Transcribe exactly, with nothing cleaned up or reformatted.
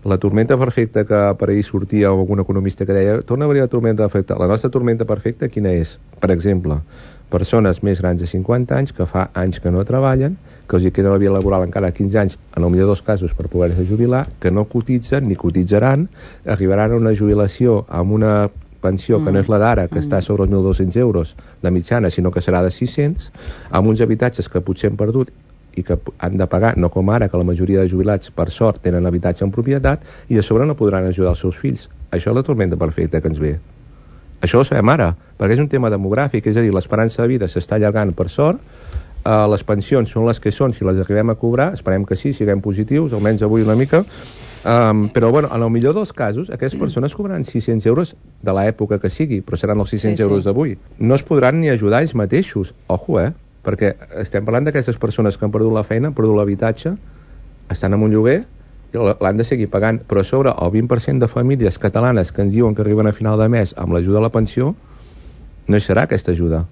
La tormenta perfecta que per ahir sortia o algun economista que deia torna a venir la tormenta perfecta. La nostra tormenta perfecta quina és? Per exemple, persones més grans de cinquanta anys que fa anys que no treballen, que els hi queda la vida laboral encara quinze anys, en el millor dels casos per poder-se jubilar, que no cotitzen ni cotitzaran, arribaran a una jubilació amb una pensió mm. que no és la d'ara, que mm. està sobre els mil dos-cents euros de mitjana, sinó que serà de sis-cents, amb uns habitatges que potser han perdut i que han de pagar, no com ara, que la majoria de jubilats, per sort, tenen habitatge en propietat, i a sobre no podran ajudar els seus fills. Això és la tormenta perfecta que ens ve. Això ho sabem ara, perquè és un tema demogràfic, és a dir, l'esperança de vida s'està allargant per sort, eh, les pensions són les que són, si les arribem a cobrar, esperem que sí, siguem positius, almenys avui una mica, um, però bueno, en el millor dels casos, aquestes persones cobraran sis-cents euros de l'època que sigui, però seran els sis-cents sí, sí. euros d'avui. No es podran ni ajudar ells mateixos, ojo, eh? Perquè estem parlant d'aquestes persones que han perdut la feina, han perdut l'habitatge, estan en un lloguer i l'han de seguir pagant, però a sobre el vint per cent de famílies catalanes que ens diuen que arriben a final de mes amb l'ajuda a la pensió, no hi serà aquesta ajuda.